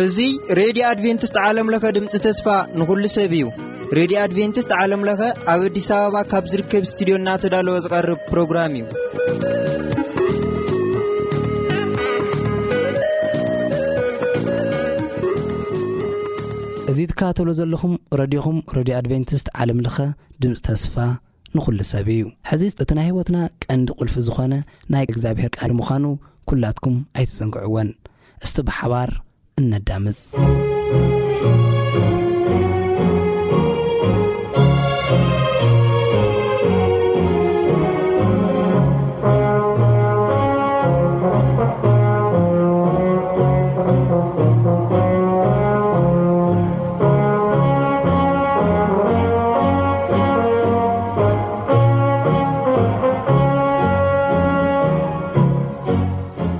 እዚ ሬድዮ ኣድቬንቲስት ዓለም ለኸ ድምፂ ተስፋ ንኹሉ ሰብ እዩ። ሬድዮ ኣድቬንቲስት ዓለም ለኸ ኣብ ኣዲስ ኣበባ ካብ ዝርከብ ስቱዲዮ እናተዳለወ ዝቐርብ ፕሮግራም እዩ። እዚ ትከታተሉ ዘለኹም ረድዮኹም፣ ረድዮ ኣድቬንቲስት ዓለም ለኸ ድምፂ ተስፋ ንኹሉ ሰብ እዩ። ሕዚ እቲ ናይ ህይወትና ቀንዲ ቁልፊ ዝኾነ ናይ እግዚኣብሔር ቃል ምዃኑ ኩላትኩም ኣይትዘንግዕዎን። እስቲ ብሓባር እነዳምፅ።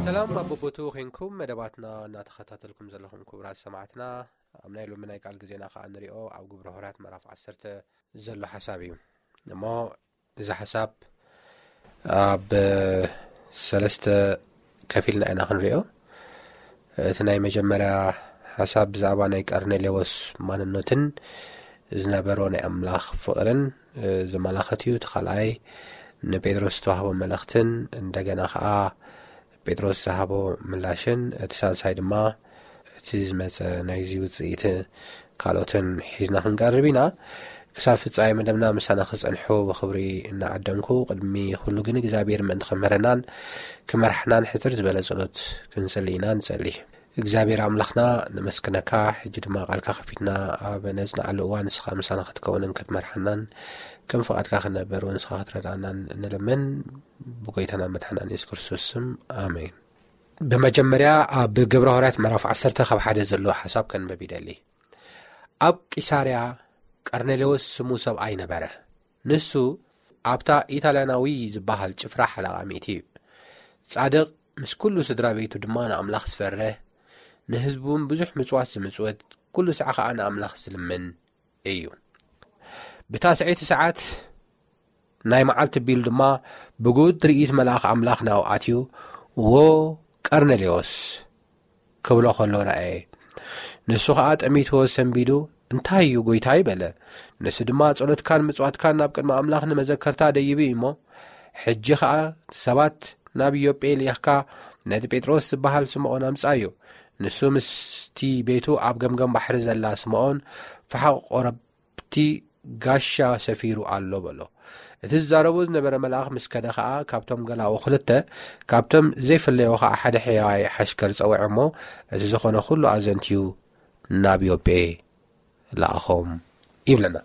ሰላም ኣብ በቦቱ ኾይንኩም መደባትና እናተኸታተልኩም ዘለኹም ክቡራት ሰማዕትና፣ ኣብ ናይ ሎሚ ናይ ቃል ግዜና ኸዓ ንሪኦ ኣብ ግብረ ሐዋርያት ምዕራፍ ዓሰርተ ዘሎ ሓሳብ እዩ። እሞ እዚ ሓሳብ ኣብ ሰለስተ ከፊልና ኢና ክንሪኦ። እቲ ናይ መጀመርያ ሓሳብ ብዛዕባ ናይ ቀርኔሌዎስ ማንነትን ዝነበሮ ናይ ኣምላኽ ፍቕርን ዘመላኸት እዩ። እቲ ካልኣይ ንጴጥሮስ ዝተዋህቦ መልእኽትን እንደገና ኸዓ ጴጥሮስ ዝሃቦ ምላሽን፣ እቲ ሳልሳይ ድማ እቲ ዝመጸ ናይዚ ውጽኢት ካልኦትን ሒዝና ክንቀርብ ኢና። ክሳብ ፍጻሜ መደብና ምሳና ክጸንሑ ብኽብሪ እናዓደምኩ፣ ቅድሚ ኩሉ ግን እግዚኣብሔር ምእንቲ ክምህረናን ክመርሓናን ሕጽር ዝበለ ጸሎት ክንጽሊ ኢና። ንጸሊ። እግዚኣብሔር ኣምላኽና፣ ነመስግነካ። ሕጂ ድማ ቃልካ ከፊትና ኣብ ነጽንዓሉ እዋን ንስኻ ምሳና ክትከውንን ክትመርሓናን ከም ፍቓድካ ክንነብር እውን ንስኻ ክትረድኣናን ንልምን፣ ብጎይታና መድሓናን የሱስ ክርስቶስ ስም፣ ኣሜን። ብመጀመርያ ኣብ ግብረ ሐዋርያት ምዕራፍ ዓሰርተ ካብ ሓደ ዘሎ ሓሳብ ከንበብ ይደሊ። ኣብ ቂሳርያ ቀርኔሌዎስ ስሙ ሰብኣይ ነበረ። ንሱ ኣብታ ኢጣልያናዊ ዝበሃል ጭፍራ ሓለቓ ሚእቲ እዩ። ጻድቕ፣ ምስ ኩሉ ስድራ ቤቱ ድማ ንኣምላኽ ዝፈርህ፣ ንህዝቡ እውን ብዙሕ ምጽዋት ዝምጽውት፣ ኩሉ ሳዕ ኸኣ ንኣምላኽ ዝልምን እዩ። ብታስዐይቲ ሰዓት ናይ መዓልቲ ቢሉ ድማ ብጉድ ርኢት መልኣኽ ኣምላኽ ናብኡ ኣትዩ፣ "ዎ ቀርኔሌዎስ" ክብሎ ኸሎ ረኣየ። ንሱ ኸኣ ጠሚትዎ ሰንቢዱ፣ "እንታይ እዩ ጐይታይ?" በለ። ንሱ ድማ፣ "ጸሎትካን ምጽዋትካን ናብ ቅድሚ ኣምላኽ ንመዘከርታ ደይቡ እዩ እሞ፣ ሕጂ ኸኣ ሰባት ናብ ዮጴ ልኢኽካ ነቲ ጴጥሮስ ዝበሃል ስምዖን ኣምጽኣዮ። ንሱ ምስቲ ቤቱ ኣብ ገምገም ባሕሪ ዘላ ስምዖን ፈሓቕ ቆረብ ኣብቲ ጋሻ ሰፊሩ ኣሎ" በሎ። እቲ ዝዛረቦ ዝነበረ መልኣኽ ምስ ከደ ኸኣ፣ ካብቶም ገላኡ ክልተ፣ ካብቶም ዘይፍለዮ ኸኣ ሓደ ሕያዋይ ሓሽከር ጸውዐ እሞ፣ እቲ ዝኾነ ኩሉ ኣዘንትዩ ናብ ዮጴ ለኣኾም ይብለና።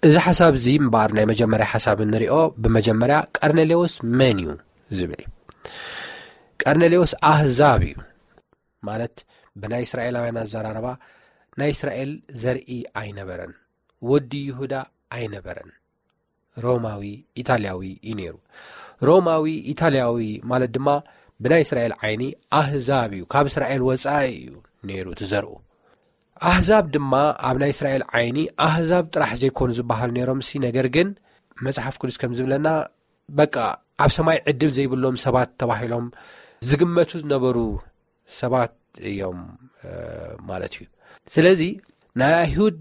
እዚ ሓሳብ እዚ እምበኣር ናይ መጀመርያ ሓሳብ እንሪኦ፣ ብመጀመርያ ቀርኔሌዎስ መን እዩ ዝብል እዩ። ቀርኔሌዎስ ኣህዛብ እዩ። ማለት ብናይ እስራኤላውያን ኣዘራርባ ናይ እስራኤል ዘርኢ ኣይነበረን። ወዲ ይሁዳ ኣይነበረን። ሮማዊ ኢጣልያዊ እዩ ነይሩ። ሮማዊ ኢጣልያዊ ማለት ድማ ብናይ እስራኤል ዓይኒ ኣህዛብ እዩ፣ ካብ እስራኤል ወጻኢ እዩ ነይሩ እቲ ዘርኡ። ኣህዛብ ድማ ኣብ ናይ እስራኤል ዓይኒ ኣህዛብ ጥራሕ ዘይኮኑ ዝበሃሉ ነይሮምሲ፣ ነገር ግን መጽሓፍ ቅዱስ ከም ዝብለና በቃ ኣብ ሰማይ ዕድል ዘይብሎም ሰባት ተባሂሎም ዝግመቱ ዝነበሩ ሰባት እዮም፣ እ፣ ማለት እዩ። ስለዚ ናይ ኣይሁድ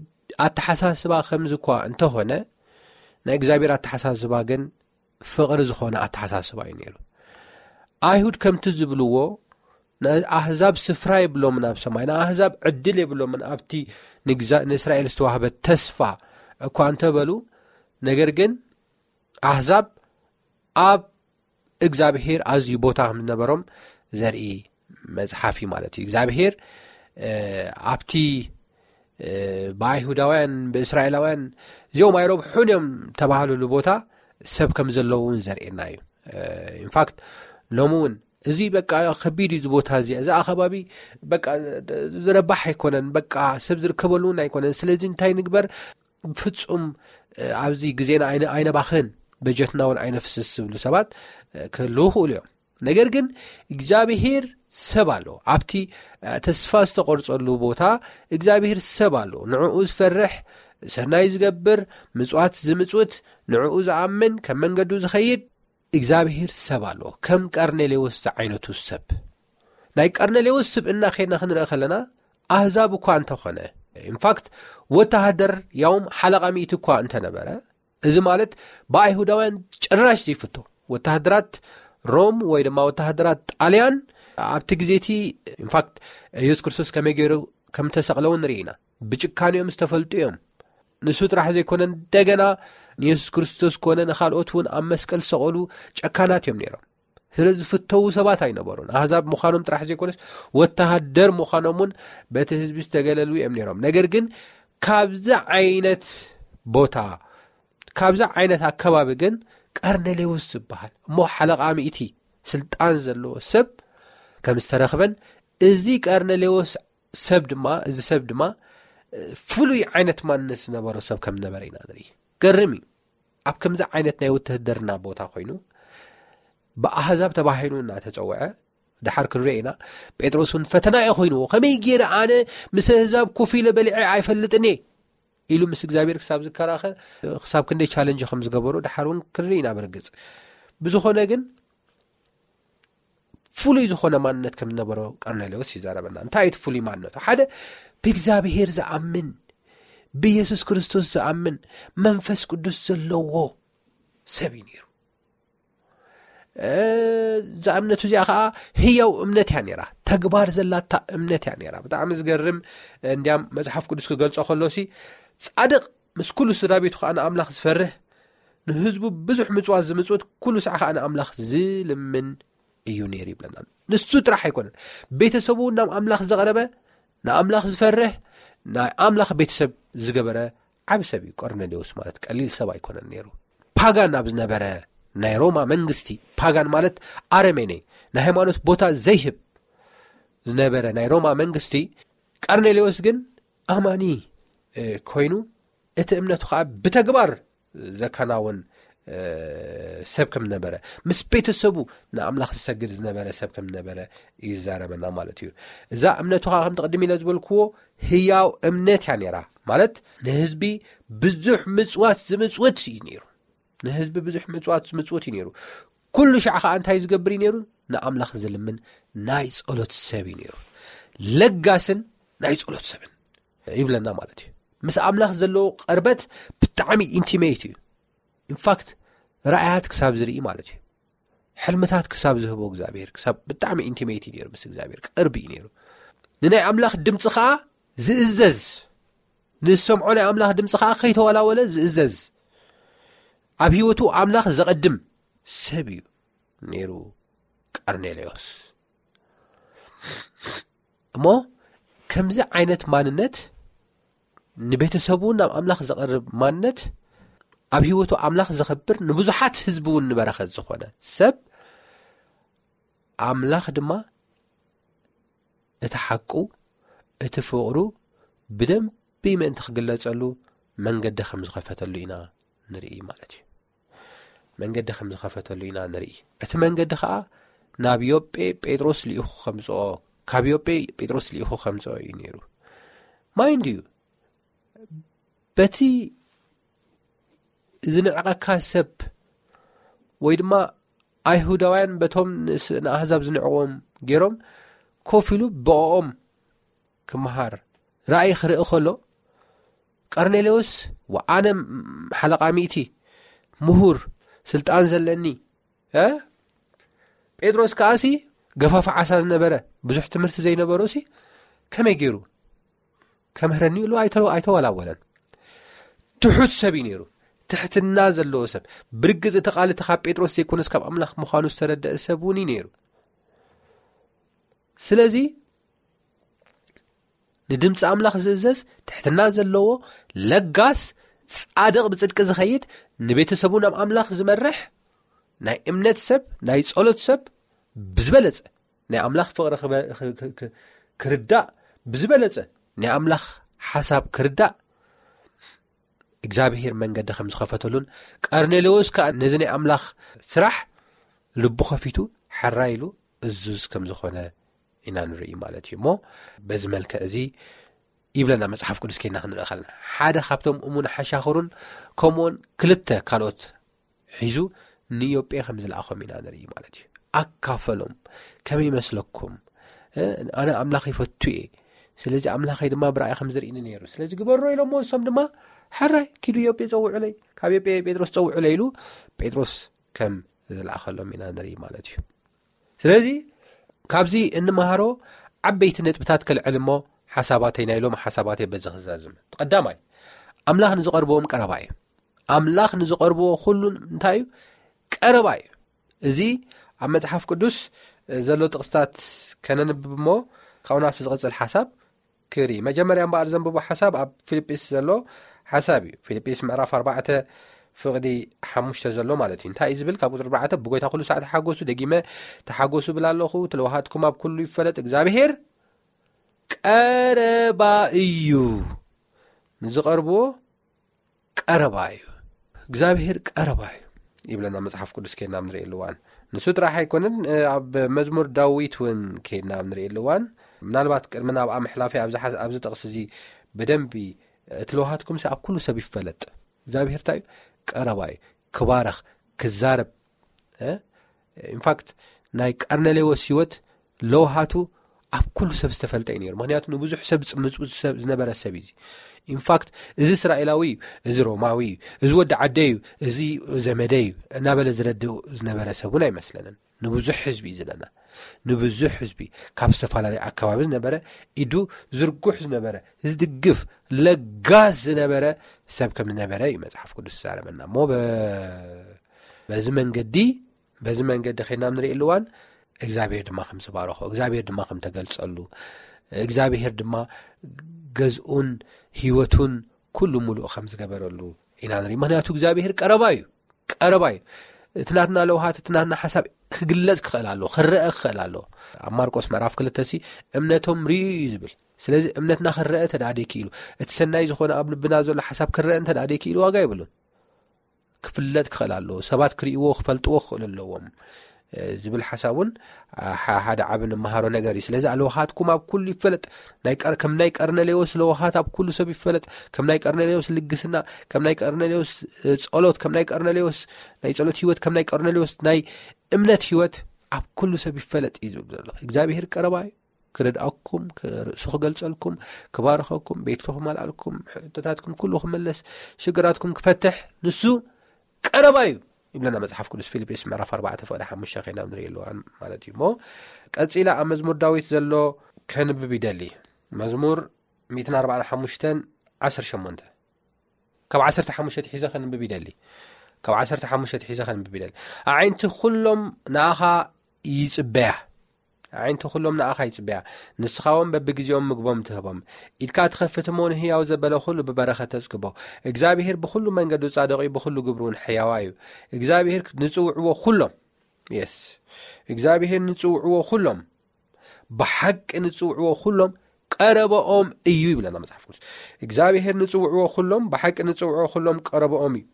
ኣተሓሳስባ ከምዚ እኳ እንተኾነ፣ ናይ እግዚኣብሔር ኣተሓሳስባ ግን ፍቕሪ ዝኾነ ኣተሓሳስባ እዩ ነይሩ። ኣይሁድ ከምቲ ዝብልዎ፣ ንኣህዛብ ስፍራ የብሎምን ኣብ ሰማይ፣ ንኣህዛብ ዕድል የብሎምን ኣብቲ ንግዛ-፣ ንእስራኤል ዝተዋህበ ተስፋ እኳ እንተበሉ፣ ነገር ግን ኣህዛብ ኣብ እግዚኣብሔር ኣዝዩ ቦታ ከም ዝነበሮም ዘርኢ መጽሓፍ እዩ ማለት እዩ። እግዚኣብሔር፣ እ፣ ኣብቲ፣ እ፣ ብኣይሁዳውያን፣ ብእስራኤላውያን እዚኦም ኣይረብሑን እዮም ተባህሉሉ ቦታ ሰብ ከም ዘለዉ እውን ዘርእየና እዩ። እ፣ ኢንፋክት ሎሚ እውን እዚ በቃ ከቢድ እዩ፣ እዚ ቦታ እዚ፣ እዚ ኣኸባቢ በቃ ዝረባሕ ኣይኮነን፣ በቃ ሰብ ዝርከበሉ እውን ኣይኮነን። ስለዚ እንታይ ንግበር? ፍጹም፣ እ፣ ኣብዚ ግዜና ኣይነ-፣ ኣይነባኽን፣ በጀትና እውን ኣይነፍስስ ዝብሉ ሰባት፣ እ፣ ክህልዉ ይኽእሉ እዮም። ነገር ግን እግዚኣብሄር ሰብ ኣሎ። ኣብቲ፣ እ፣ ተስፋ ዝተቖርጸሉ ቦታ እግዚኣብሄር ሰብ ኣሎ። ንዕኡ ዝፈርሕ፣ ሰናይ ዝገብር፣ ምጽዋት ዝምጽውት፣ ንዕኡ ዝኣምን፣ ከም መንገዱ ዝኸይድ እግዚኣብሔር ሰብ ኣለዎ። ከም ቀርኔሌዎስ ዝዓይነቱ ሰብ። ናይ ቀርኔሌዎስ ስብእና ከይድና ክንርኢ ከለና፣ ኣህዛብ እኳ እንተኾነ፣ ኢንፋክት፣ ወተሃደር፣ ያውም ሓለቓ ሚእቲ እኳ እንተነበረ፣ እዚ ማለት ብኣይሁዳውያን ጭራሽ ዘይፍቶ፣ ወተሃደራት ሮም ወይ ድማ ወተሃደራት ጣልያን ኣብቲ ግዜ እቲ፣ ኢንፋክት፣ የሱስ ክርስቶስ ከመይ ገይሩ ከም ተሰቕለ እውን ንርኢ ኢና። ብጭካኔኦም ዝተፈልጡ እዮም። ንሱ ጥራሕ ዘይኮነ፣ እንደገና ንየሱስ ክርስቶስ ኮነ ንኻልኦት እውን ኣብ መስቀል ዝሰቐሉ ጨካናት እዮም ነይሮም። ስለ ዝፍተዉ ሰባት ኣይነበሩን። ኣህዛብ ምዃኖም ጥራሕ ዘይኮነስ፣ ወተሃደር ምዃኖም እውን በቲ ህዝቢ ዝተገለሉ እዮም ነይሮም። ነገር ግን ካብዚ ዓይነት ቦታ፣ ካብዚ ዓይነት ኣከባቢ ግን ቀርኔሌዎስ ዝበሃል እሞ ሓለቓ ሚእቲ ስልጣን ዘለዎ ሰብ ከም ዝተረኽበን፣ እዚ ቀርኔሌዎስ ሰብ ድማ፣ እዚ ሰብ ድማ ፍሉይ ዓይነት ማንነት ዝነበሮ ሰብ ከም ዝነበረ ኢና ንርኢ። ገርም እዩ። ኣብ ከምዚ ዓይነት ናይ ውትህድርና ቦታ ኮይኑ፣ ብኣህዛብ ተባሂሉ እናተጸውዐ፣ ድሓር ክንሪኦ ኢና፣ ጴጥሮስ እውን ፈተና እዩ ኮይንዎ። "ከመይ ገይረ ኣነ ምስ ኣህዛብ ኮፍ ኢለ በሊዐ ኣይፈልጥን እየ?" ኢሉ ምስ እግዚኣብሔር ክሳብ ዝከራኸር፣ ክሳብ ክንደይ ቻለንጅ ከም ዝገበሩ ድሓር እውን ክንርኢ ኢና። ብርግጽ፣ ብዝኾነ ግን፣ ፍሉይ ዝኾነ ማንነት ከም ዝነበሮ ቀርኔሌዎስ ይዛረበና። እንታይ እዩ እቲ ፍሉይ ማንነቱ? ሓደ፣ ብእግዚኣብሔር ዝኣምን፣ ብየሱስ ክርስቶስ ዝኣምን፣ መንፈስ ቅዱስ ዘለዎ ሰብ እዩ ነይሩ። እ፣ እዛ እምነቱ እዚኣ ኸዓ ህያው እምነት እያ ነይራ፣ ተግባር ዘላታ እምነት እያ ነይራ። ብጣዕሚ ዝገርም። እንዲያም መጽሓፍ ቅዱስ ክገልጾ ከሎሲ፣ ጻድቕ ምስ ኩሉ ስድራ ቤቱ ኸዓ ንኣምላኽ ዝፈርህ፣ ንህዝቡ ብዙሕ ምጽዋት ዝምጽውት፣ ኩሉ ሳዕ ኸዓ ንኣምላኽ ዝልምን እዩ ነይሩ ይብለና። ንሱ ጥራሕ ኣይኮነን፣ ቤተሰቡ ናብ ኣምላኽ ዘቕረበ፣ ንኣምላኽ ዝፈርህ፣ ናይ ኣምላኽ ቤተሰብ ዝገበረ ዓቢ ሰብ እዩ። ቆርኔሌዎስ ማለት ቀሊል ሰብ ኣይኮነን ነይሩ። ፓጋን ኣብ ዝነበረ ናይ ሮማ መንግስቲ፣ ፓጋን ማለት ኣረሜኔ፣ ናይ ሃይማኖት ቦታ ዘይህብ ዝነበረ ናይ ሮማ መንግስቲ፣ ቀርኔሌዎስ ግን ኣማኒ፣ እ፣ ኮይኑ፣ እቲ እምነቱ ኸዓ ብተግባር ዘከናውን፣ እ፣ ሰብ ከም ነበረ፣ ምስ ቤተሰቡ ንኣምላኽ ዝሰግድ ዝነበረ ሰብ ከም ነበረ እዩ ዝዛረበና ማለት እዩ። እዛ እምነቱ ኸዓ፣ ከም ተቐድም ኢለ ዝበልክዎ፣ ህያው እምነት እያ ነይራ። ማለት፣ ንህዝቢ ብዙሕ ምጽዋት ዝምጽውት እዩ ነይሩ። ንህዝቢ ብዙሕ ምጽዋት ዝምጽውት እዩ ነይሩ። ኩሉ ሻዕ ኸዓ እንታይ ዝገብር እዩ ነይሩ? ንኣምላኽ ዝልምን ናይ ጸሎት ሰብ እዩ ነይሩ። ለጋስን ናይ ጸሎት ሰብን ይብለና ማለት እዩ። ምስ ኣምላኽ ዘለዎ ቅርበት ብጣዕሚ ኢንቲሜት እዩ። ኢንፋክት፣ ራእያት ክሳብ ዝርኢ ማለት እዩ። ሕልምታት ክሳብ ዝህቦ እግዚኣብሔር፣ ክሳብ ብጣዕሚ ኢንቲሜት እዩ ነይሩ፣ ምስ እግዚኣብሔር ቅርብ እዩ ነይሩ። ንናይ ኣምላኽ ድምፂ ኸዓ ዝእዘዝ፣ ንዝሰምዖ ናይ ኣምላኽ ድምፂ ኸዓ ከይተወላወለ ዝእዘዝ፣ ኣብ ህይወቱ ኣምላኽ ዘቐድም ሰብ እዩ ነይሩ ቀርኔሌዎስ። እሞ ከምዚ ዓይነት ማንነት፣ ንቤተሰቡ ናብ ኣምላኽ ዘቐርብ ማንነት፣ ኣብ ህይወቱ ኣምላኽ ዘኸብር፣ ንብዙሓት ህዝቢ እውን ንበረኸት ዝኾነ ሰብ፣ ኣምላኽ ድማ እቲ ሓቁ፣ እቲ ፍቕሩ ብደንቢ ምእንቲ ክግለጸሉ መንገዲ ከም ዝኸፈተሉ ኢና ንርኢ ማለት እዩ። መንገዲ ከም ዝኸፈተሉ ኢና ንርኢ። እቲ መንገዲ ኸዓ ናብ ዮጴ ጴጥሮስ ልኢኹ ከምጽኦ፣ ካብ ዮጴ ጴጥሮስ ልኢኹ ከምጽኦ እዩ ነይሩ። ማይንድ እዩ፣ በቲ ዝንዕቐካ ሰብ ወይ ድማ ኣይሁዳውያን በቶም ንስ-፣ ንኣህዛብ ዝንዕቕዎም ገይሮም ኮፍ ኢሉ ብኦም ክመሃር ራእይ ክርኢ ከሎ፣ ቀርኔሌዎስ፣ "ወኣነ ሓለቓ ሚእቲ፣ ምሁር፣ ስልጣን ዘለኒ፣ እ? ጴጥሮስ ከኣሲ ገፋፊ ዓሳ ዝነበረ፣ ብዙሕ ትምህርቲ ዘይነበሮሲ ከመይ ገይሩ ከምህረኒ?" ኢሉ ኣይተ-፣ ኣይተወላወለን። ትሑት ሰብ እዩ ነይሩ፣ ትሕትና ዘለዎ ሰብ። ብርግጽ እቲ ቃል እቲ ካብ ጴጥሮስ ዘይኮነስ ካብ ኣምላኽ ምዃኑ ዝተረደአ ሰብ እውን እዩ ነይሩ። ስለዚ ንድምፂ ኣምላኽ ዝእዘዝ፣ ትሕትና ዘለዎ፣ ለጋስ፣ ጻድቕ፣ ብጽድቂ ዝኸይድ፣ ንቤተሰቡ ናብ ኣምላኽ ዝመርሕ ናይ እምነት ሰብ፣ ናይ ጸሎት ሰብ፣ ብዝበለጸ ናይ ኣምላኽ ፍቕሪ ክበ-፣ ክ-፣ ክ-፣ ክ-፣ ክርዳእ፣ ብዝበለጸ ናይ ኣምላኽ ሓሳብ ክርዳእ እግዚኣብሔር መንገዲ ከም ዝኸፈተሉን፣ ቀርኔሌዎስ ከኣ ነዚ ናይ ኣምላኽ ስራሕ ልቡ ኸፊቱ ሕራይ ኢሉ እዙዝ ከም ዝኾነ ኢና ንርኢ ማለት እዩ። እሞ በዚ መልክዕ እዚ ይብለና መጽሓፍ ቅዱስ። ከይና ክንርኢ ከለና ሓደ ካብቶም እሙን ሓሻኽሩን ከምኡውን ክልተ ካልኦት ሒዙ ንዮጴ ከም ዝለኣኾም ኢና ንርኢ ማለት እዩ። ኣካፈሎም። ከመይ ይመስለኩም? ኣነ ኣምላኽ ይፈቱ እየ፣ ስለዚ ኣምላኸይ ድማ ብራእይ ከም ዝርእኒ ነይሩ፣ ስለዚ ግበሮ ኢሎሞ። ንሶም ድማ ሕራይ ኪዱ ዮጴ ጸውዑለይ፣ ካብ ዮጴ ጴጥሮስ ጸውዑለይ ኢሉ ጴጥሮስ ከም ዝለኣኸሎም ኢና ንርኢ ማለት እዩ። ስለዚ ካብዚ እንመሃሮ ዓበይቲ ነጥብታት ከልዕል እሞ ሓሳባተይ ናይ ሎም ሓሳባተይ በዚ ክዛዝም። ቀዳማይ፣ ኣምላኽ ንዝቐርብዎም ቀረባ እዩ። ኣምላኽ ንዝቐርብዎ ኩሉን እንታይ እዩ? ቀረባ እዩ። እዚ ኣብ መጽሓፍ ቅዱስ ዘሎ ጥቕስታት ከነንብብ እሞ ካብኡ ናብቲ ዝቕጽል ሓሳብ ክርኢ። መጀመርያ እምበኣር ዘንብቦ ሓሳብ ኣብ ፊልጲስ ዘሎ ሓሳብ እዩ። ፊልጲስ ምዕራፍ ኣርባዕተ ፍቕዲ ሓሙሽተ ዘሎ ማለት እዩ። እንታይ እዩ ዝብል? ካብ ቁጽሪ ኣርባዕተ፣ "ብጎይታ ኩሉ ሳዕ ተሓጎሱ፣ ደጊመ ተሓጎሱ ብል ኣለኹ፣ ትለውሃትኩም ኣብ ኩሉ ይፈለጥ፣ እግዚኣብሄር ቀረባ እዩ፣ ንዝቐርብዎ ቀረባ እዩ፣ እግዚኣብሄር ቀረባ እዩ" ይብለና መጽሓፍ ቅዱስ። ከይድና ኣብ ንርእየሉ እዋን ንሱ ጥራሕ ኣይኮነን። ኣብ መዝሙር ዳዊት እውን ከይድና ኣብ ንርእየሉ እዋን፣ ምናልባት ቅድሚ ናብኣ ምሕላፈይ ኣብዚ ጥቕሲ እዚ ብደንቢ፣ "እቲ ለውሃትኩም ኣብ ኩሉ ሰብ ይፈለጥ፣ እግዚኣብሄር እንታይ እዩ? ቀረባ እዩ፣ ክባረኽ፣ ክዛረብ" ኢንፋክት ናይ ቀርነሌዎስ ህይወት ለውሃቱ ኣብ ኩሉ ሰብ ዝተፈልጠ እዩ ነይሩ። ምክንያቱ ንብዙሕ ሰብ ዝምፅምፁ ሰብ ዝነበረ ሰብ እዩ። ኢንፋክት እዚ እስራኤላዊ እዩ፣ እዚ ሮማዊ እዩ፣ እዚ ወዲ ዓደ እዩ፣ እዚ ዘመደ እዩ እናበለ ዝረድእ ዝነበረ ሰብ እውን ኣይመስለንን። ንብዙሕ ህዝቢ እዩ ዝለና። ንብዙሕ ህዝቢ ካብ ዝተፈላለዩ ኣከባቢ ዝነበረ፣ ኢዱ ዝርጉሕ ዝነበረ፣ ዝድግፍ ለጋስ ዝነበረ ሰብ ከም ዝነበረ እዩ መፅሓፍ ቅዱስ ዝዛረበና። እሞ በዚ መንገዲ በዚ መንገዲ ከይድና ኣብ ንርእየሉ እዋን እግዚኣብሔር ድማ ከም ዝባረኾ፣ እግዚኣብሔር ድማ ከም ተገልጸሉ፣ እግዚኣብሔር ድማ ገዝኡን ህይወቱን ኩሉ ሙሉእ ከም ዝገበረሉ ኢና ንርኢ። ምክንያቱ እግዚኣብሔር ቀረባ እዩ፣ ቀረባ እዩ። እቲ ናትና ለውሃት፣ እቲ ናትና ሓሳብ ክግለጽ ክኽእል ኣለዎ፣ ክረአ ክኽእል ኣለዎ። ኣብ ማርቆስ ምዕራፍ ክልተ ሲ እምነቶም ርእዩ እዩ ዝብል። ስለዚ እምነትና ክረአ እንተ ደኣ ደይክኢሉ፣ እቲ ሰናይ ዝኾነ ኣብ ልብና ዘሎ ሓሳብ ክረአ እንተ ደኣ ደይክኢሉ ዋጋ የብሉን። ክፍለጥ ክኽእል ኣለዎ። ሰባት ክርእይዎ፣ ክፈልጥዎ ክኽእሉ ኣለዎም ዝብል ሓሳብ እውን ሓደ ዓቢ ንመሃሮ ነገር እዩ። ስለዚ ለውሃትኩም ኣብ ኩሉ ይፈለጥ፣ ከም ናይ ቀርነሌዎስ ለውሃት ኣብ ኩሉ ሰብ ይፈለጥ፣ ከም ናይ ቀርነሌዎስ ልግስና፣ ከም ናይ ቀርነሌዎስ ጸሎት፣ ከም ናይ ቀርነሌዎስ ናይ ጸሎት ህይወት፣ ከም ናይ ቀርነሌዎስ ናይ እምነት ህይወት ኣብ ኩሉ ሰብ ይፈለጥ እዩ ዝብል ዘሎ። እግዚኣብሔር ቀረባ እዩ። ክረድኣኩም፣ ርእሱ ክገልጸልኩም፣ ክባርኸኩም፣ ቤትኩም ክመልኣልኩም፣ ሕቶታትኩም ኩሉ ክመለስ፣ ሽግራትኩም ክፈትሕ ንሱ ቀረባ እዩ ይብለና መጽሓፍ ቅዱስ። ፊልጵስ ምዕራፍ ኣርባዕተ ፍቕዲ ሓሙሽተ ከይና ንርእየሉ እዋን ማለት እዩ። እሞ ቀጺላ ኣብ መዝሙር ዳዊት ዘሎ ከንብብ ይደሊ። መዝሙር ሚእትን ኣርባዓን ሓሙሽተን ዓሰርተ ሸሞንተ፣ ካብ ዓሰርተ ሓሙሽተ ሒዘ ከንብብ ይደሊ። ካብ ዓሰርተ ሓሙሽተ ሒዘ ከንብብ ይደሊ። ኣዒንቲ ኩሎም ንኣኻ ይጽበያ። ኣዒንቲ ኩሎም ንኣኻ ይጽበያ። ንስኻ እውን በብግዜኦም ምግቦም ትህቦም። ኢድካ ትኸፍት እሞ ንህያው ዘበለ ኩሉ ብበረኸት ተጽግቦ። እግዚኣብሔር ብኹሉ መንገዱ ጻድቕ እዩ፣ ብኹሉ ግብሩ እውን ሕያዋ እዩ። እግዚኣብሔር ንጽውዕዎ ኩሎም፣ የስ፣ እግዚኣብሔር ንጽውዕዎ ኩሎም፣ ብሓቂ ንጽውዕዎ ኩሎም ቀረበኦም እዩ ይብለና መጽሓፍ ቅዱስ። እግዚኣብሔር ንጽውዕዎ ኩሎም፣ ብሓቂ ንጽውዕዎ ኩሎም ቀረበኦም እዩ።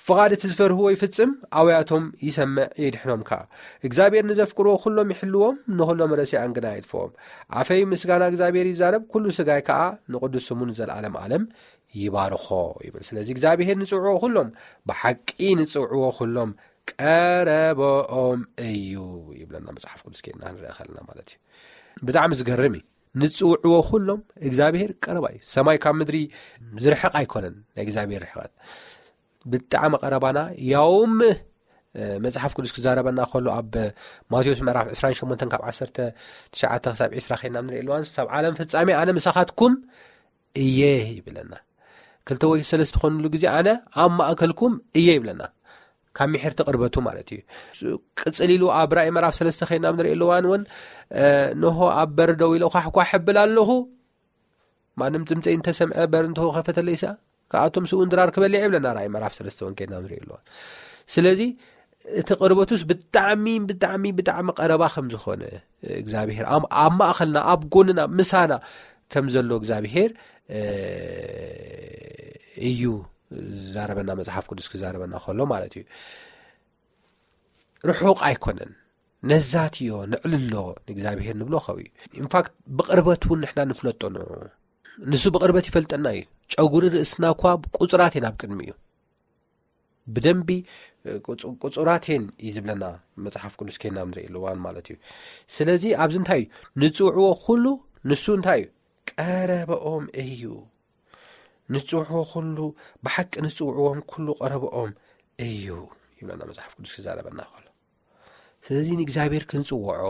ፍቓድ እቲ ዝፈርህዎ ይፍጽም፣ ኣውያቶም ይሰምዕ የድሕኖም ከኣ። እግዚኣብሔር ንዘፍቅርዎ ኩሎም ይሕልዎም፣ ንኹሎም ረሲኣን ግና የጥፍኦም። ኣፈይ ምስጋና እግዚኣብሔር ይዛረብ፣ ኩሉ ስጋይ ከኣ ንቕዱስ ስሙ ንዘለዓለም ዓለም ይባርኾ ይብል። ስለዚ እግዚኣብሔር ንጽውዕዎ ኩሎም፣ ብሓቂ ንጽውዕዎ ኩሎም ቀረበኦም እዩ ይብለና መጽሓፍ ቅዱስ። ከይድና ክንርኢ ከለና ማለት እዩ። ብጣዕሚ ዝገርም እዩ። ንጽውዕዎ ኩሎም እግዚኣብሔር ቀረባ እዩ። ሰማይ ካብ ምድሪ ዝርሕቕ ኣይኮነን ናይ እግዚኣብሔር ርሕቐት። ብጣዕሚ ቀረባና፣ ያውም መጽሓፍ ቅዱስ ክዛረበና ከሎ ኣብ ማቴዎስ ምዕራፍ ዕስራን ሸሞንተን ካብ ዓሰርተ ትሽዓተ ክሳብ ዕስራ ከይና ንርኢ ኣለዋን፣ "ሳብ ዓለም ፍጻሜ ኣነ ምሳኻትኩም እየ" ይብለና። ክልተ ወይ ሰለስተ ትኾንሉ ግዜ "ኣነ ኣብ ማእከልኩም እየ" ይብለና። ካብ ምሕርቲ ቅርበቱ ማለት እዩ። ቅጽል ኢሉ ኣብ ራእይ ምዕራፍ ሰለስተ ከይና ንርኢ ኣለዋን እውን፣ "ንሆ ኣብ በር ደው ኢለ ኳሕኳሕ እብል ኣለኹ፣ ማንም ድምፀይ እንተሰምዐ በር እንተኸፈተለይሳ፣ ከኣቶም ስውን ድራር ክበልዕ" ይብለና ራእይ ምዕራፍ ሰለስተ እውን ከይድና ንርኢ ኣለዋን። ስለዚ እቲ ቅርበቱስ ብጣዕሚ፣ ብጣዕሚ፣ ብጣዕሚ ቀረባ ከም ዝኾነ እግዚኣብሔር፣ ኣብ፣ ኣብ ማእከልና፣ ኣብ ጎንና፣ ምሳና ከም ዘሎ እግዚኣብሔር፣ እ፣ እዩ ዝዛረበና፣ መጽሓፍ ቅዱስ ክዛረበና ከሎ ማለት እዩ። ርሑቕ ኣይኮነን። ነዛትዮ፣ ነዕልሎ፣ ንእግዚኣብሔር ንብሎ ከው እዩ። ኢንፋክት ብቕርበት እውን ንሕና ንፍለጦ ንዑ። ንሱ ብቕርበት ይፈልጠና እዩ። ጨጉሪ ርእስና እኳ ቁጹራት እየን ኣብ ቅድሚ እዩ። ብደንቢ ቁጹ- ቁጹራት እየን እዩ ዝብለና መጽሓፍ ቅዱስ ከይና ንርኢ ኣለዋን ማለት እዩ። ስለዚ ኣብዚ እንታይ እዩ ንጽውዕዎ ኩሉ ንሱ እንታይ እዩ ቀረበኦም እዩ። ንጽውዕዎ ኩሉ ብሓቂ ንጽውዕዎም ኩሉ ቀረበኦም እዩ ይብለና መጽሓፍ ቅዱስ ክዛረበና ከሎ። ስለዚ ንእግዚኣብሔር ክንጽውዖ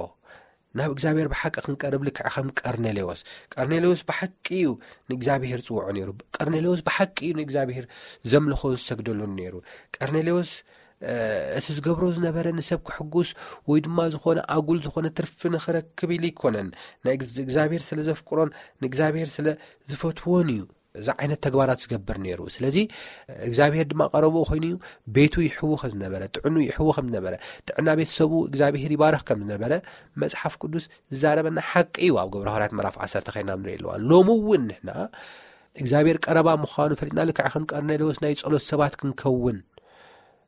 ናብ እግዚኣብሔር ብሓቂ ክንቀርብ ልክዕ ከም ቀርኔሌዎስ። ቀርኔሌዎስ ብሓቂ እዩ ንእግዚኣብሔር ጽውዖ ነይሩ። ቀርኔሌዎስ ብሓቂ እዩ ንእግዚኣብሔር ዘምልኾን ዝሰግደሉን ነይሩ። ቀርኔሌዎስ እቲ ዝገብሮ ዝነበረ ንሰብ ክሕጉስ ወይ ድማ ዝኾነ ኣጉል ዝኾነ ትርፊ ንኽረክብ ኢሉ ኣይኮነን። ንእግዚኣብሔር ስለ ዘፍቅሮን ንእግዚኣብሔር ስለ ዝፈትዎን እዩ እዚ ዓይነት ተግባራት ዝገብር ነይሩ። ስለዚ እግዚኣብሔር ድማ ቀረብኡ ኮይኑ እዩ። ቤቱ ይሕዉ ከም ዝነበረ፣ ጥዕኑ ይሕዉ ከም ዝነበረ፣ ጥዕና ቤተሰቡ እግዚኣብሔር ይባርኽ ከም ዝነበረ መጽሓፍ ቅዱስ ዝዛረበና ሓቂ እዩ። ኣብ ግብረ ሃዋርያት ምዕራፍ ዓሰርተ ኸይና ንርኢ ኣለዋ። ሎሚ እውን ንሕና እግዚኣብሔር ቀረባ ምዃኑ ፈሊጥና ልክዕ ከም ቀርኔሌዎስ ናይ ጸሎት ሰባት ክንከውን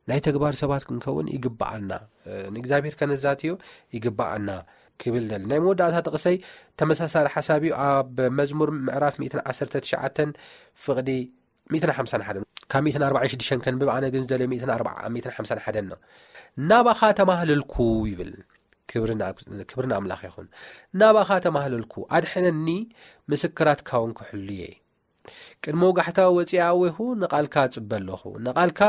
ናይ ተግባር ሰባት ክንከውን ይግብኣና። ንእግዚኣብሔር ከነዛትዮ ይግብኣና ክብል ደል ናይ መወዳእታ ጥቕሰይ ተመሳሳሊ ሓሳብ እዩ። ኣብ መዝሙር ምዕራፍ ሚእትን ዓሰርተ ትሽዓተን ፍቕዲ ሚእትን ሓምሳን ሓደን ካብ ሚእትን ኣርባዕን ሽዱሽተን ከንብብ። ኣነ ግን ዝደልዮ ሚእትን ኣርባዓ ሚእትን ሓምሳን ሓደን ነው። ናባኻ ተማህለልኩ ይብል። ክብሪ ንኣምላኽ ይኹን። ናባኻ ተማህለልኩ፣ ኣድሕነኒ፣ ምስክራትካ እውን ክሕሉ እየ። ቅድሚ ወጋሕታ ወፂኣ ኣዌኹ ንቓልካ እፅበ ኣለኹ። ንቓልካ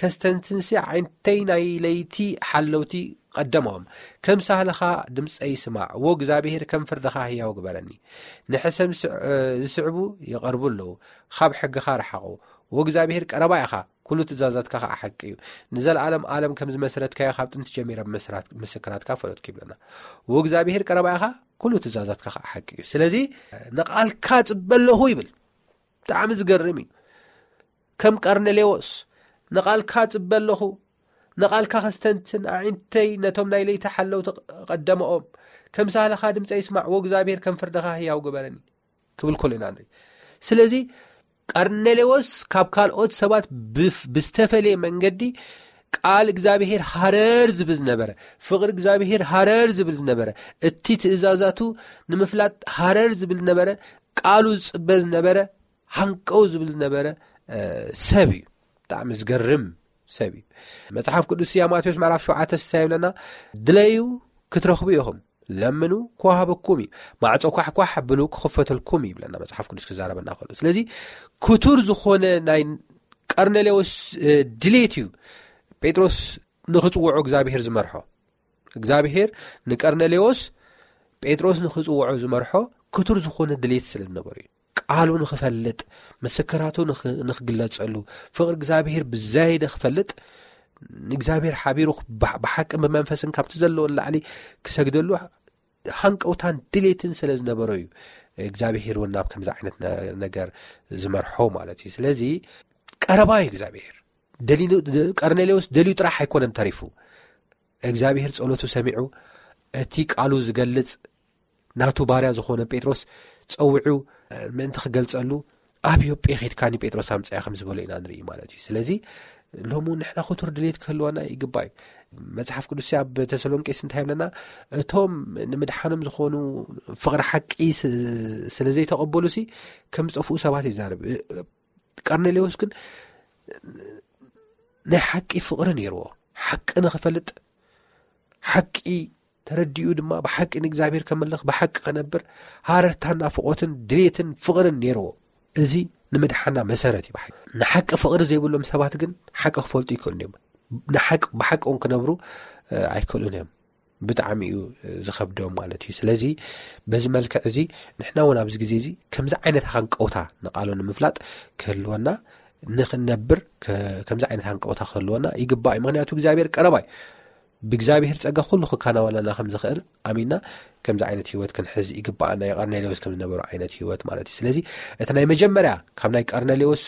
ከስተንትንሲ ዓይንተይ ናይ ለይቲ ሓለውቲ ቀደሞም። ከም ሳህልኻ ድምፀይ ስማዕ፣ ወ እግዚኣብሄር ከም ፍርድኻ ህያው ግበረኒ። ንሕሰም ዝስዕቡ ይቐርቡ ኣለዉ፣ ካብ ሕግኻ ረሓቑ። ወ እግዚኣብሄር ቀረባ ኢኻ፣ ኩሉ ትእዛዛትካ ከዓ ሓቂ እዩ። ንዘለኣለም ኣለም ከም ዝመስረትካዮ ካብ ጥንቲ ጀሚረ ምስክራትካ ፈለጥኩ ይብለና። ወ እግዚኣብሄር ቀረባ ኢኻ፣ ኩሉ ትእዛዛትካ ከዓ ሓቂ እዩ። ስለዚ ንቓልካ ጽበ ኣለኹ ይብል። ብጣዕሚ ዝገርም እዩ። ከም ቀርኔሌዎስ ንቓልካ ጽበ ኣለኹ፣ ንቓልካ ከስተንትን ኣዒንተይ ነቶም ናይ ለይቲ ሓለውቲ ቀደመኦም። ከም ሳህልኻ ድምፀይ ይስማዕ፣ ወ እግዚኣብሄር ከም ፍርድኻ ህያው ግበረኒ ክብል ከሎ ኢና ንርኢ። ስለዚ ቀርኔሌዎስ ካብ ካልኦት ሰባት ብዝተፈለየ መንገዲ ቃል እግዚኣብሄር ሃረር ዝብል ዝነበረ፣ ፍቕሪ እግዚኣብሄር ሃረር ዝብል ዝነበረ፣ እቲ ትእዛዛቱ ንምፍላጥ ሃረር ዝብል ዝነበረ፣ ቃሉ ዝጽበ ዝነበረ፣ ሃንቀው ዝብል ዝነበረ ሰብ እዩ። ብጣዕሚ ዝገርም ሰብ እዩ። መጽሓፍ ቅዱስ ያ ማቴዎስ ምዕራፍ ሸውዓተ ስሳ ይብለና፣ ድለዩ ክትረኽቡ ኢኹም፣ ለምኑ ክወሃበኩም እዩ፣ ማዕጾ ኳሕኳሕ ኣብሉ ክኽፈተልኩም እዩ ይብለና መጽሓፍ ቅዱስ ክዛረበና ከሎ። ስለዚ ክቱር ዝኾነ ናይ ቀርኔሌዎስ ድሌት እዩ ጴጥሮስ ንኽጽውዖ እግዚኣብሄር ዝመርሖ። እግዚኣብሄር ንቀርኔሌዎስ ጴጥሮስ ንኽጽውዖ ዝመርሖ ክቱር ዝኾነ ድሌት ስለ ዝነበሩ እዩ። ቃሉ ንኽፈልጥ፣ ምስክራቱ ንኽግለጸሉ፣ ፍቕሪ እግዚኣብሄር ብዛይደ ክፈልጥ፣ ንእግዚኣብሄር ሓቢሩ ብሓቅን ብመንፈስን ካብቲ ዘለዎ ንላዕሊ ክሰግደሉ ሃንቀውታን ድሌትን ስለ ዝነበሮ እዩ እግዚኣብሄር እውን ናብ ከምዚ ዓይነት ነገር ዝመርሖ ማለት እዩ። ስለዚ ቀረባ እዩ እግዚኣብሄር። ቀርኔሌዎስ ደልዩ ጥራሕ ኣይኮነን ተሪፉ፣ እግዚኣብሄር ጸሎቱ ሰሚዑ፣ እቲ ቃሉ ዝገልጽ ናቱ ባርያ ዝኾነ ጴጥሮስ ጸዊዑ ምእንቲ ክገልጸሉ፣ ኣብ ዮጴ ኸድካኒ ጴጥሮስ ኣምጽያ ከም ዝበሎ ኢና ንርኢ ማለት እዩ። ስለዚ ሎሚ ንሕና ክቱር ድሌት ክህልወና ይግባእ እዩ። መጽሓፍ ቅዱስ ኣብ ተሰሎንቄስ እንታይ ይብለና? እቶም ንምድሓኖም ዝኾኑ ፍቕሪ ሓቂ ስለ ዘይተቐበሉ ሲ ከም ዝጠፍኡ ሰባት ይዛረብ። ቀርኔሌዎስ ግን ናይ ሓቂ ፍቕሪ ነይርዎ። ሓቂ ንኽፈልጥ፣ ሓቂ ተረዲኡ ድማ ብሓቂ ንእግዚኣብሔር ከመልኽ፣ ብሓቂ ከነብር ሃረርታን ናፍቖትን ድሌትን ፍቕርን ነይርዎ። እዚ ንምድሓና መሰረት እዩ። ብሓቂ ንሓቂ ፍቕሪ ዘይብሎም ሰባት ግን ሓቂ ክፈልጡ ይክእሉ እዮም። ንሓቂ ብሓቂ እውን ክነብሩ ኣይክእሉን እዮም። ብጣዕሚ እዩ ዝኸብዶም ማለት እዩ። ስለዚ በዚ መልክዕ እዚ ንሕና እውን ኣብዚ ግዜ እዚ ከምዚ ዓይነት ሃንቀውታ ንቃሉ ንምፍላጥ ክህልወና፣ ንኽንነብር ከምዚ ዓይነት ሃንቀውታ ክህልወና ይግባእ እዩ። ምክንያቱ እግዚኣብሔር ቀረባ እዩ። ብእግዚኣብሔር ጸጋ ኩሉ ክከናወነና ከም ዝኽእል ኣሚንና ከምዚ ዓይነት ህይወት ክንሕዝ ይግባኣና። የቐርኔሌዎስ ከም ዝነበሩ ዓይነት ህይወት ማለት እዩ። ስለዚ እቲ ናይ መጀመርያ ካብ ናይ ቀርኔሌዎስ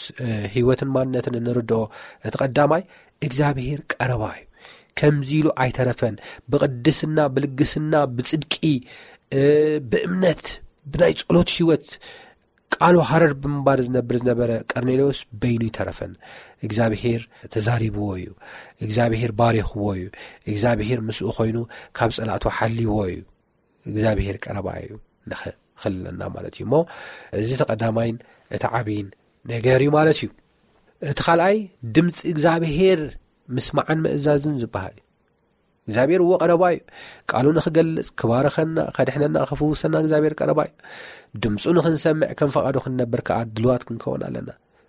ህይወትን ማንነትን እንርድኦ እቲ ቀዳማይ እግዚኣብሔር ቀረባ እዩ። ከምዚ ኢሉ ኣይተረፈን። ብቕድስና፣ ብልግስና፣ ብጽድቂ፣ ብእምነት፣ ብናይ ጸሎት ህይወት ቃሉ ሃረር ብምባል ዝነብር ዝነበረ ቀርኔሌዎስ በይኑ ይተረፈን። እግዚኣብሔር ተዛሪብዎ እዩ። እግዚኣብሔር ባሪኽዎ እዩ። እግዚኣብሔር ምስኡ ኮይኑ ካብ ጸላእቱ ሓልይዎ እዩ። እግዚኣብሔር ቀረባ እዩ። ንኸ ክልለና ማለት እዩ። እሞ እዚ እቲ ቀዳማይን እቲ ዓብይን ነገር እዩ ማለት እዩ። እቲ ካልኣይ ድምፂ እግዚኣብሄር ምስማዕን ምእዛዝን ዝበሃል እዩ። እግዚኣብሔር እዎ ቀረባ እዩ። ቃሉ ንኽገልጽ፣ ክባርኸና፣ ከድሕነና፣ ክፍውሰና እግዚኣብሔር ቀረባ እዩ። ድምፁ ንኽንሰምዕ፣ ከም ፈቓዱ ክንነብር ከኣ ድልዋት ክንከውን ኣለና።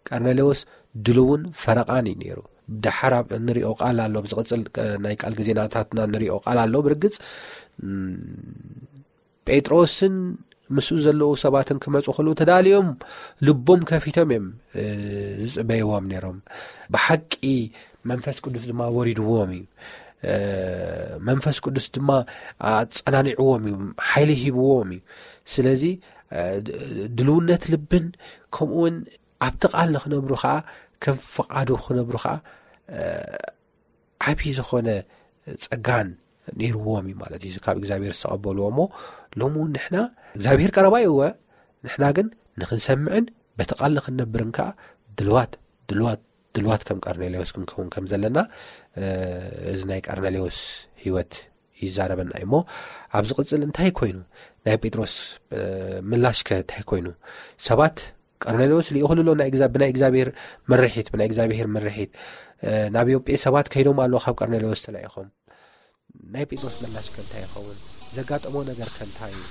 ቀርኔሌዎስ ድልውን ፈረቓን እዩ ነይሩ። ደሓር ኣብ እንሪኦ ቃል ኣሎ፣ ኣብ ዝቕጽል፣ እ፣ ናይ ቃል ግዜናታትና እንሪኦ ቃል ኣሎ። ብርግጽ፣ እም፣ ጴጥሮስን ምስኡ ዘለዉ ሰባትን ክመጹ ከለዉ ተዳልዮም ልቦም ከፊቶም እዮም፣ እ፣ ዝጽበይዎም ነይሮም። ብሓቂ መንፈስ ቅዱስ ድማ ወሪድዎም እዩ። እ፣ መንፈስ ቅዱስ ድማ ኣጸናኒዕዎም እዩ፣ ሓይሊ ሂብዎም እዩ። ስለዚ፣ እ፣ ድ-፣ ድልውነት ልብን ከምኡ እውን ኣብቲ ቃል ንኽነብሩ ኸኣ፣ ከም ፍቓዱ ክነብሩ ኸኣ፣ እ፣ ዓብዪ ዝኾነ ጸጋን ነይርዎም እዩ ማለት እዩ፣ ካብ እግዚኣብሔር ዝተቐበልዎ። እሞ ሎሚ እውን ንሕና እግዚኣብሔር ቀረባ እዩ እወ፣ ንሕና ግን ንኽንሰምዕን በቲ ቃል ንኽንነብርን ከኣ ድልዋት፣ ድልዋት፣ ድልዋት ከም ቀርኔሌዎስ ክንከውን ከም ዘለና፣ እ፣ እዚ ናይ ቀርኔሌዎስ ህይወት ይዛረበና እዩ። እሞ ኣብ ዝቕጽል እንታይ ኮይኑ? ናይ ጴጥሮስ፣ እ፣ ምላሽከ እንታይ ኮይኑ? ሰባት ቀርኔሌዎስ ልኢኹሉ ኣሎ ናይ እግዛ-፣ ብናይ እግዚኣብሔር ምርሒት፣ ብናይ እግዚኣብሔር ምርሒት፣ እ፣ ናብ ዮጴ ሰባት ከይዶም ኣለዉ ካብ ቀርኔሌዎስ ተላኢኾም። ናይ ጴጥሮስ ምላሽከ እንታይ ይኸውን? ዘጋጠሞ ነገርከ እንታይ እዩ?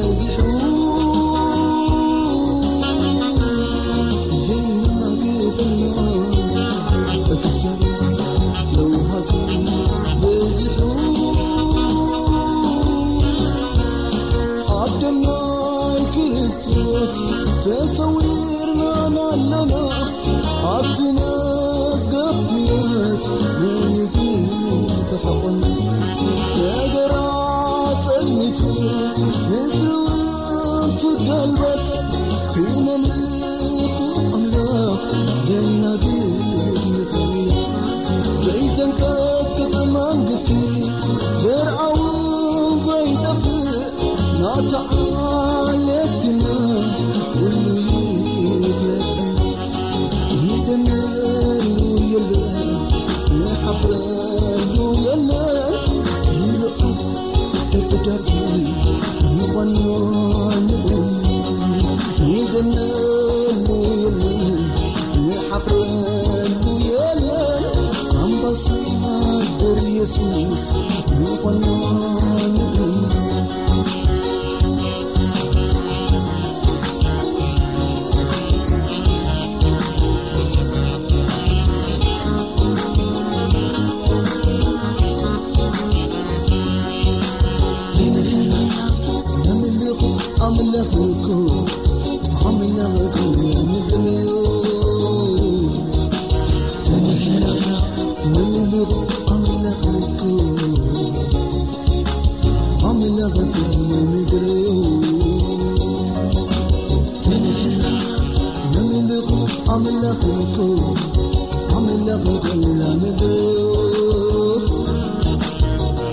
በዚሑ የናግፈና፣ እቲ ሰብ ለውሃቱ በዚሑ። ኣብ ደም ናይ ክርስቶስ ተሰዊርና ኣለና፣ ኣብቲ መዝገብ ሕይወት መን እዩ ዝተሐቖነ? ነገራ ጸልሚቱ ምድሪ እውን ትገልበጥ፣ እቲ ነምልኾ ኣምላኽ ደናግል ንፈልጥ። ዘይተንቀጥቅጥ መንግስቲ ዘርኣውን ዘይጠፍእ ናታ ዓሌትና ኩሉ ይፍለጠን። ይደነሉ የለን፣ ይሓፍረሉ የለን፣ ይልዓት እብዳድ ይኾኖ ንእም። ይደነሉ የለን፣ ይሓፍረሉ የለን፣ ኣምባሳደር ኢየሱስ ይኾኖ ንእም። ኣምላኽኩ ኣምላኽኩ ምድርዮ። ተነሕና ነምልኽ ኣምላኽኩ ኣምላኽ ሰማይ ምድርዮ። ተነሕና ነምልኽ ኣምላኽኩ ኣምላኽ ኩላ ምድርዮ።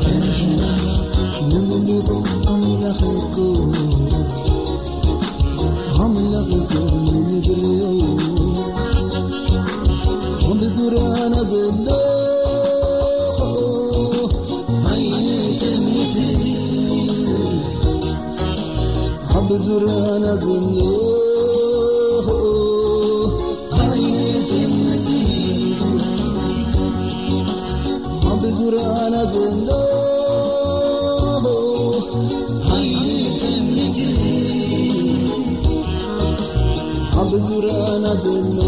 ተነሕና ነምልኽ ኣምላኽኩ ኣምላኽ ሰማይ ምድርዮ። ብዙርያና ዘሎ ኣይትምት። ኣብ ዙርያና ዘሎ ኣይትምት። ኣብ ዙርያና ዘሎ ኣይትምት። ኣብ ዙርያና ዘሎ